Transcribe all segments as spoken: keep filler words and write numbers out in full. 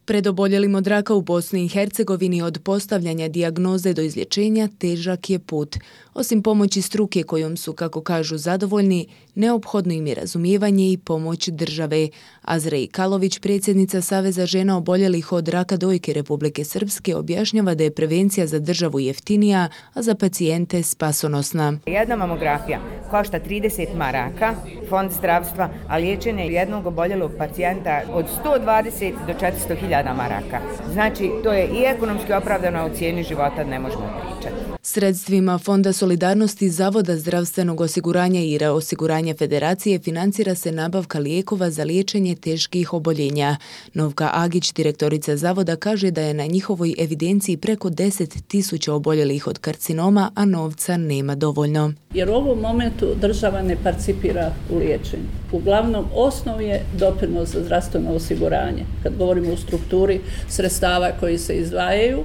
Pred oboljelim od raka u Bosni i Hercegovini od postavljanja dijagnoze do izlječenja težak je put. Osim pomoći struke kojom su, kako kažu, zadovoljni, neophodno im je razumijevanje i pomoć države. Azra Kalović, predsjednica Saveza žena oboljelih od raka dojke Republike Srpske, objašnjava da je prevencija za državu jeftinija, a za pacijente spasonosna. Jedna mamografija košta trideset maraka, fond zdravstva, a liječenje jednog oboljelog pacijenta od sto dvadeset do četiristo hiljada maraka. Znači, to je i ekonomski opravdano, a u cijeni života ne možemo pričati. Sredstvima Fonda solidarnosti Zavoda zdravstvenog osiguranja i reosiguranja Federacije financira se nabavka lijekova za liječenje teških oboljenja. Novka Agić, direktorica Zavoda, kaže da je na njihovoj evidenciji preko deset tisuća oboljelih od karcinoma, a novca nema dovoljno. Jer u ovom momentu država ne participira u liječenju. Uglavnom, osnov je doprinos za zdravstveno osiguranje. Kad govorimo o strukturi sredstava koji se izdvajaju,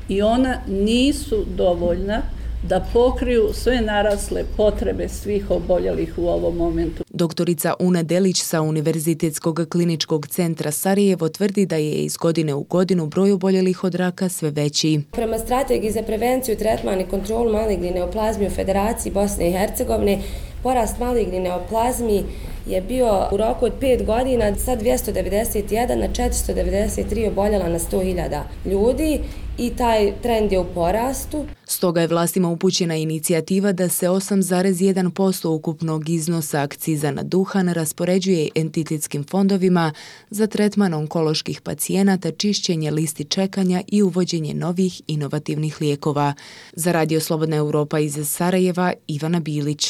i ona nisu dovoljna da pokriju sve narasle potrebe svih oboljelih u ovom momentu. Doktorica Una Delić sa Univerzitetskog kliničkog centra Sarajevo tvrdi da je iz godine u godinu broj oboljelih od raka sve veći. Prema strategiji za prevenciju, tretman i kontrolu maligne neoplazmi u Federaciji Bosne i Hercegovine, porast maligne neoplazmi je bio u roku od pet godina sa dvjesto devedeset jedan na četiristo devedeset tri oboljela na sto hiljada ljudi i taj trend je u porastu. Stoga je vlastima upućena inicijativa da se osam zarez jedan posto ukupnog iznosa akciza na duhan raspoređuje entitetskim fondovima za tretman onkoloških pacijenata, čišćenje listi čekanja i uvođenje novih inovativnih lijekova. Za Radio Slobodna Europa iz Sarajeva, Ivana Bilić.